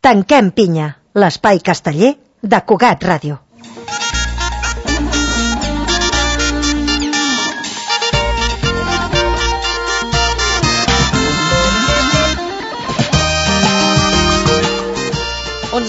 Tanquem pinya, l'espai casteller de Cugat Ràdio.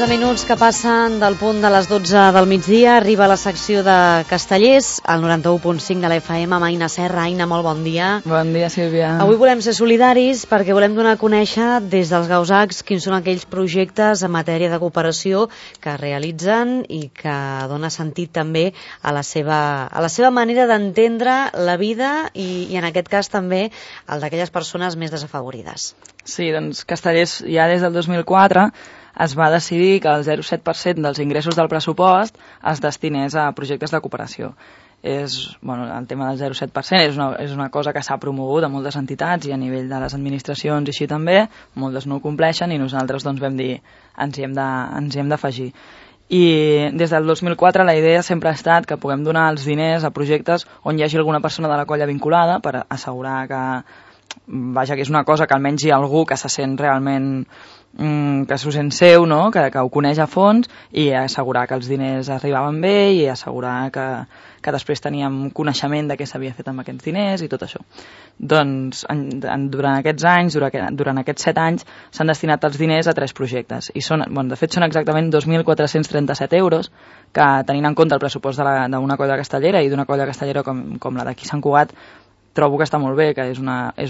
Minuts que passen del punt de les 12 del migdia, arriba la secció de Castellers, al 91.5 de la FM, amb Aina Serra. Aina, molt bon dia. Bon dia, Sílvia. Avui volem ser solidaris perquè volem donar a conèixer des dels Gausacs quins són aquells projectes en matèria de cooperació que realitzen i que dona sentit també a la seva manera d'entendre la vida i en aquest cas també el d'aquelles persones més desafavorides. Sí, doncs Castellers ja des del 2004 es va decidir que el 0,7% dels ingressos del pressupost es destinés a projectes de cooperació. El tema del 0,7% és una cosa que s'ha promogut a moltes entitats i a nivell de les administracions i així també, moltes no ho compleixen i nosaltres doncs vam dir ens hi hem d'afegir. I des del 2004 la idea sempre ha estat que puguem donar els diners a projectes on hi hagi alguna persona de la colla vinculada per assegurar que és una cosa que almenys hi ha algú que se sent realment que s'ho sent seu, no? que ho coneix a fons, i assegurar que els diners arribaven bé i assegurar que després teníem coneixement de què s'havia fet amb aquests diners i tot això. Doncs durant aquests anys, durant aquests 7 anys, s'han destinat els diners a 3 projectes. I de fet són exactament 2.437 euros, que tenint en compte el pressupost d'una colla castellera i d'una colla castellera com la d'aquí Sant Cugat, trobo que està molt bé, que és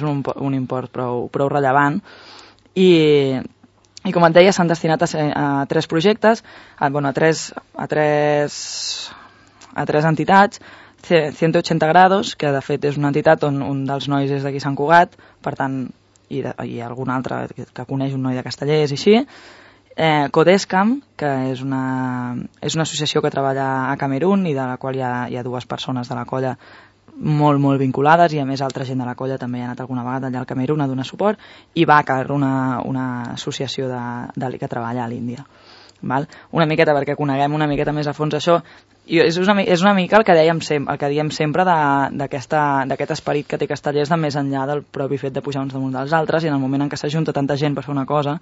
un import prou rellevant. I com et deia, s'han destinat a 3 projectes, a tres entitats. 180 grados, que de fet és una entitat on un dels nois és d'aquí Sant Cugat, per tant, i algun altre que coneix un noi de Castellers i així. Codescam, que és una associació que treballa a Camerún i de la qual hi ha 2 persones de la colla molt, molt vinculades, i a més altra gent de la colla també ha anat alguna vegada allà al Camerún a donar suport, i Bàcar, una associació que treballa a l'Índia. Una miqueta perquè coneguem una miqueta més a fons això. És una mica el que diem sempre d'aquest esperit que té Castellers de més enllà del propi fet de pujar uns damunt dels altres, i en el moment en què s'ajunta tanta gent per fer una cosa,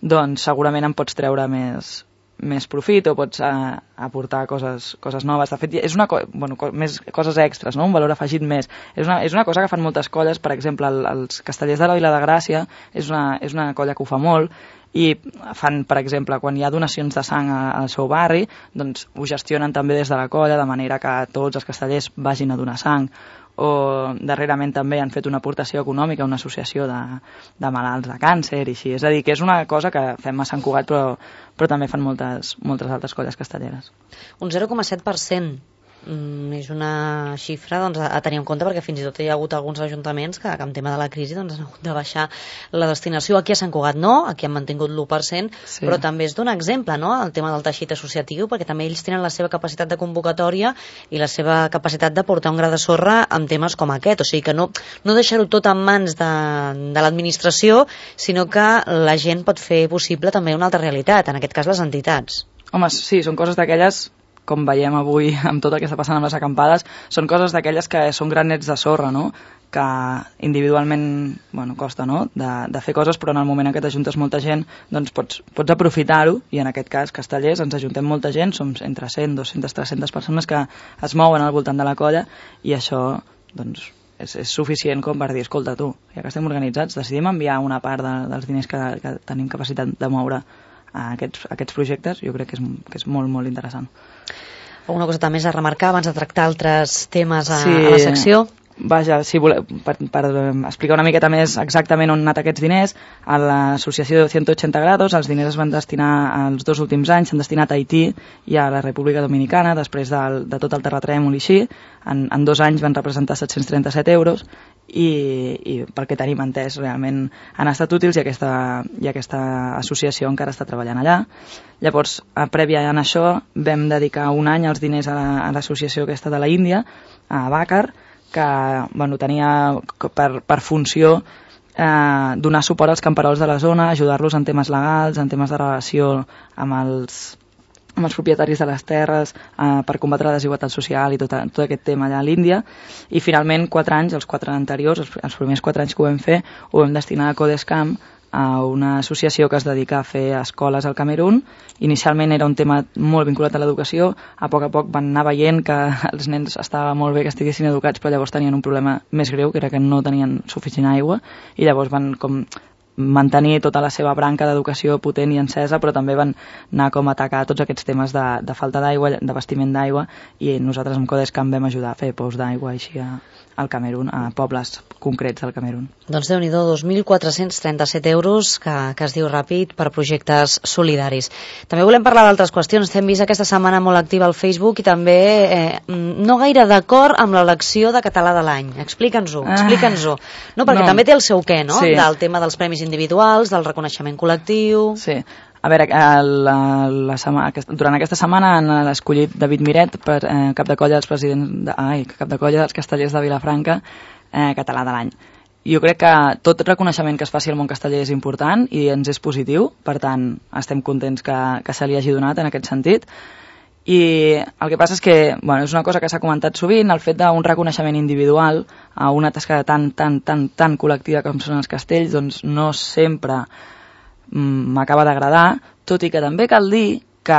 doncs segurament en pots treure més profit o pots aportar coses noves. De fet, és més coses extres, no? Un valor afegit més. És una cosa que fan moltes colles, per exemple, els Castellers de la Vila de Gràcia és una colla que ho fa molt, i fan, per exemple, quan hi ha donacions de sang al seu barri, doncs ho gestionen també des de la colla, de manera que tots els castellers vagin a donar sang. O darrerament també han fet una aportació econòmica a una associació de malalts de càncer i així. És a dir, que és una cosa que fem a Sant Cugat, però també fan moltes altres colles castelleres. Un 0,7%. És una xifra a tenir en compte, perquè fins i tot hi ha hagut alguns ajuntaments que amb tema de la crisi han hagut de baixar la destinació. Aquí a Sant Cugat no, aquí han mantingut l'1%, sí. Però també es dona exemple, no?, el tema del teixit associatiu, perquè també ells tenen la seva capacitat de convocatòria i la seva capacitat de portar un gra de sorra amb temes com aquest. O sigui que no deixar-ho tot en mans de l'administració, sinó que la gent pot fer possible també una altra realitat, en aquest cas les entitats. Home, sí, són coses d'aquelles, com veiem avui amb tot el que està passant amb les acampades, són coses d'aquelles que són granets de sorra, no?, que individualment costa, no?, de fer coses, però en el moment en què t'ajuntes molta gent doncs pots aprofitar-ho, i en aquest cas Castellers ens ajuntem molta gent, som entre 100, 200, 300 persones que es mouen al voltant de la colla, i això doncs és suficient com per dir, escolta tu, ja que estem organitzats, decidim enviar una part dels diners que tenim capacitat de moure a aquests projectes. Jo crec que és molt, molt interessant. Alguna cosa més a remarcar abans de tractar altres temes a la secció? Vaja, si voleu, per explicar una miqueta més exactament on han anat aquests diners, a l'associació de 180 grados els diners es van destinar els 2 últims anys, s'han destinat a Haití i a la República Dominicana, després de tot el terratrèmol i així. En 2 anys van representar 737 euros, i pel que tenim entès realment han estat útils, i aquesta associació encara està treballant allà. Llavors, prèvia a això, vam dedicar un any els diners a l'associació aquesta de la Índia, a Bàcar, que tenia per funció donar suport als camperols de la zona, ajudar-los en temes legals, en temes de relació amb els propietaris de les terres, per combatre la desigualtat social i tot aquest tema allà a l'Índia. I finalment 4 anys, els 4 anteriors, els primers 4 anys que ho vam fer, ho vam destinar a Codescam, a una associació que es dedica a fer escoles al Camerún. Inicialment era un tema molt vinculat a l'educació, a poc van anar veient que els nens estava molt bé que estiguessin educats, però llavors tenien un problema més greu, que era que no tenien suficient aigua, i llavors van com mantenir tota la seva branca d'educació potent i encesa, però també van anar com a atacar tots aquests temes de falta d'aigua, d'abastiment d'aigua, i nosaltres amb Codescam vam ajudar a fer pous d'aigua així al Camerún, a pobles concrets del Camerún. Doncs Déu-n'hi-do, 2.437 euros, que es diu ràpid, per projectes solidaris. També volem parlar d'altres qüestions. T'hem vist aquesta setmana molt activa al Facebook i també no gaire d'acord amb l'elecció de català de l'any. Explica'ns-ho. No, perquè també té el seu què, no? Sí. Del tema dels premis individuals, del reconeixement col·lectiu... Sí. A veure, durant aquesta setmana han escollit David Miret per cap de colla dels castellers de Vilafranca, català de l'any. Jo crec que tot reconeixement que es faci al món casteller és important i ens és positiu, per tant estem contents que se li hagi donat en aquest sentit. I el que passa és que és una cosa que s'ha comentat sovint, el fet d'un reconeixement individual a una tasca tan col·lectiva com són els castells, doncs no sempre m'acaba d'agradar, tot i que també cal dir que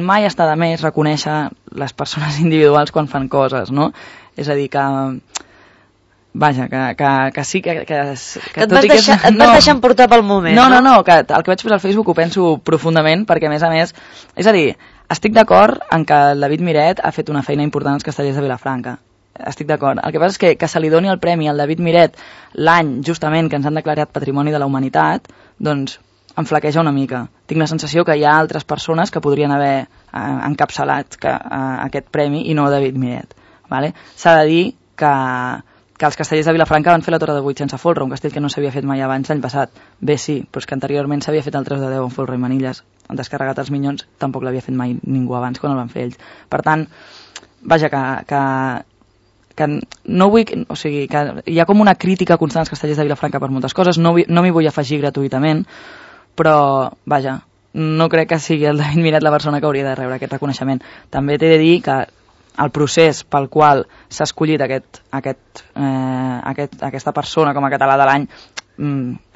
mai està de més reconèixer les persones individuals quan fan coses, no? És a dir, que sí que et vas deixant portar pel moment, no, que el que vaig posar al Facebook ho penso profundament, perquè a més, és a dir, estic d'acord en que el David Miret ha fet una feina important als castellers de Vilafranca. Estic d'acord. El que passa és que se li doni el premi al David Miret l'any justament que ens han declarat Patrimoni de la Humanitat, doncs em flaqueja una mica. Tinc la sensació que hi ha altres persones que podrien haver encapçalat aquest premi i no David Miret. Vale? S'ha de dir que els castellers de Vilafranca van fer la Torre de 8 sense folre, un castell que no s'havia fet mai abans l'any passat. Bé, sí, però és que anteriorment s'havia fet el 3 de 10 amb folre i manilles. Han descarregat els Minyons, tampoc l'havia fet mai ningú abans quan el van fer ells. Per tant, vaja, que no vull, o sigui, que hi ha com una crítica constant als castellers de Vilafranca per moltes coses, no m'hi vull afegir gratuïtament, però, vaja, no crec que sigui el David Miret la persona que hauria de rebre aquest reconeixement. També t'he de dir que el procés pel qual s'ha escollit aquesta persona com a català de l'any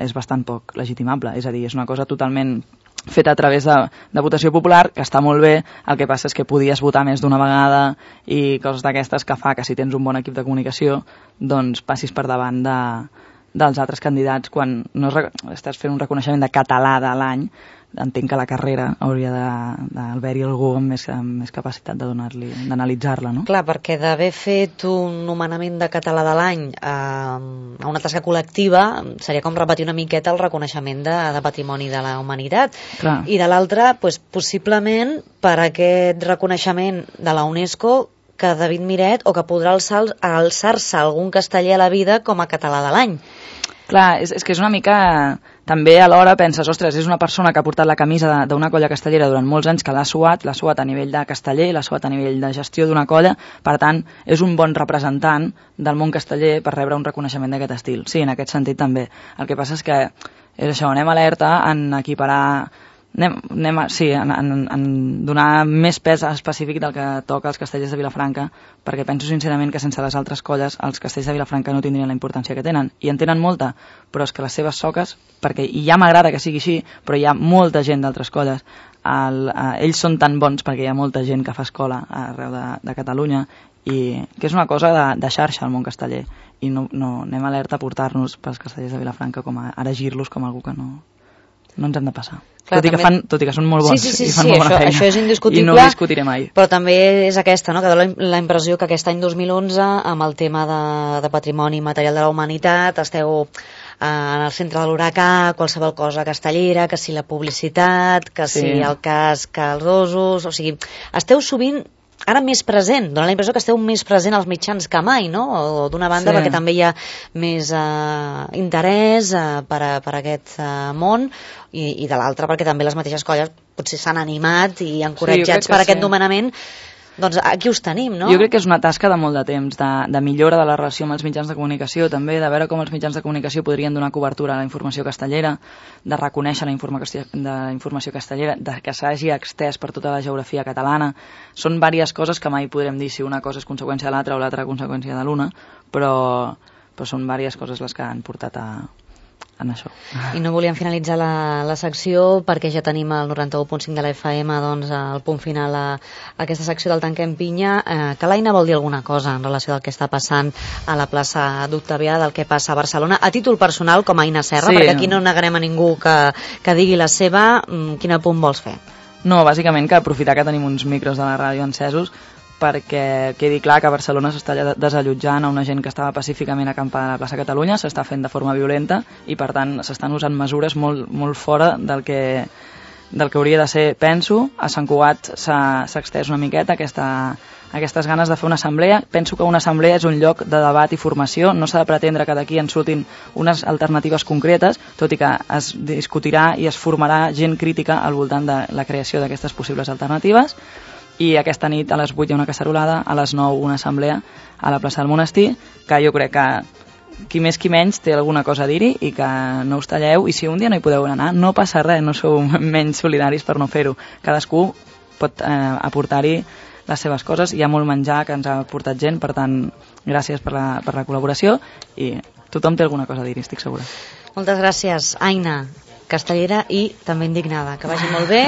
és bastant poc legitimable, és a dir, és una cosa totalment feta a través de votació popular, que està molt bé, el que passa és que podies votar més d'una vegada i coses d'aquestes que fa que si tens un bon equip de comunicació doncs passis per davant dels altres candidats quan no estàs fent un reconeixement de català de l'any. Entenc que la carrera hauria d'haver-hi algú amb més capacitat d'analitzar-la, no? Clar, perquè d'haver fet un nomenament de català de l'any a una tasca col·lectiva seria com repetir una miqueta el reconeixement de Patrimoni de la Humanitat. Clar. I de l'altra, possiblement per aquest reconeixement de la UNESCO que David Miret o que podrà alçar-se algun casteller a la vida com a català de l'any. Clar, és que és una mica... També alhora penses, ostres, és una persona que ha portat la camisa d'una colla castellera durant molts anys, que l'ha suat a nivell de casteller, l'ha suat a nivell de gestió d'una colla, per tant, és un bon representant del món casteller per rebre un reconeixement d'aquest estil. Sí, en aquest sentit també. El que passa és que és això, anem alerta en equiparar... en donar més pes específic del que toca als castellers de Vilafranca, perquè penso sincerament que sense les altres colles els castells de Vilafranca no tindrien la importància que tenen, i en tenen molta, però és que les seves soques, perquè i ja m'agrada que sigui així, però hi ha molta gent d'altres colles, ells són tan bons perquè hi ha molta gent que fa escola arreu de Catalunya, i que és una cosa de xarxa al món casteller, i no anem alerta a portar-nos pels castellers de Vilafranca com a erigir-los com algú que no ens hem de passar. Clar, tot i que són molt bons i fan molt bona feina. Això és indiscutible. I no ho discutiré mai. Però també és aquesta, no? Que dona la impressió que aquest any 2011, amb el tema de patrimoni material de la humanitat, esteu en el centre de l'huracà, qualsevol cosa castellera, que si la publicitat, que si el cas que els osos... O sigui, esteu sovint ara més present, dona la impressió que esteu més present als mitjans que mai, no? O d'una banda perquè també hi ha més interès per aquest món i de l'altra perquè també les mateixes colles potser s'han animat i encoratjats per aquest nomenament. Doncs aquí us tenim, no? Jo crec que és una tasca de molt de temps, de millora de la relació amb els mitjans de comunicació, també de veure com els mitjans de comunicació podrien donar cobertura a la informació castellera, de reconèixer la informació castellera, que s'hagi extès per tota la geografia catalana. Són diverses coses que mai podrem dir si una cosa és conseqüència de l'altra o l'altra conseqüència de l'una, però són diverses coses les que han portat a en això. I no volíem finalitzar la secció perquè ja tenim el 91.5 de la FM, doncs, al punt final a aquesta secció del Tanquem Pinya. Que l'Aina vol dir alguna cosa en relació al que està passant a la plaça d'Octavià, del que passa a Barcelona, a títol personal, com a Aina Serra, perquè aquí no negarem a ningú que digui la seva. Quin apunt vols fer? No, bàsicament que aprofitar que tenim uns micros de la ràdio encesos perquè quedi clar que a Barcelona s'està desallotjant a una gent que estava pacíficament acampada a la plaça Catalunya, s'està fent de forma violenta i per tant s'estan usant mesures molt, molt fora del que hauria de ser, penso. A Sant Cugat s'ha extès una miqueta aquestes ganes de fer una assemblea. Penso que una assemblea és un lloc de debat i formació, no s'ha de pretendre que d'aquí en surtin unes alternatives concretes, tot i que es discutirà i es formarà gent crítica al voltant de la creació d'aquestes possibles alternatives. I aquesta nit a les 8 hi ha una cacerolada, a les 9 una assemblea a la plaça del Monestir, que jo crec que qui més qui menys té alguna cosa a dir-hi i que no us talleu, i si un dia no hi podeu anar, no passa res, no sou menys solidaris per no fer-ho. Cadascú pot aportar-hi les seves coses, hi ha molt menjar que ens ha portat gent, per tant, gràcies per la col·laboració i tothom té alguna cosa a dir-hi, estic segura. Moltes gràcies, Aina, castellera i també indignada. Que vagi molt bé,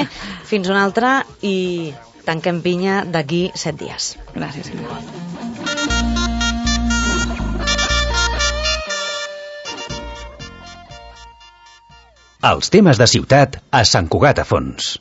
fins una altra i Tanquem Pinya d'aquí 7 dies. Gràcies, Sílvia. Els temes de ciutat a Sant Cugat a Fons.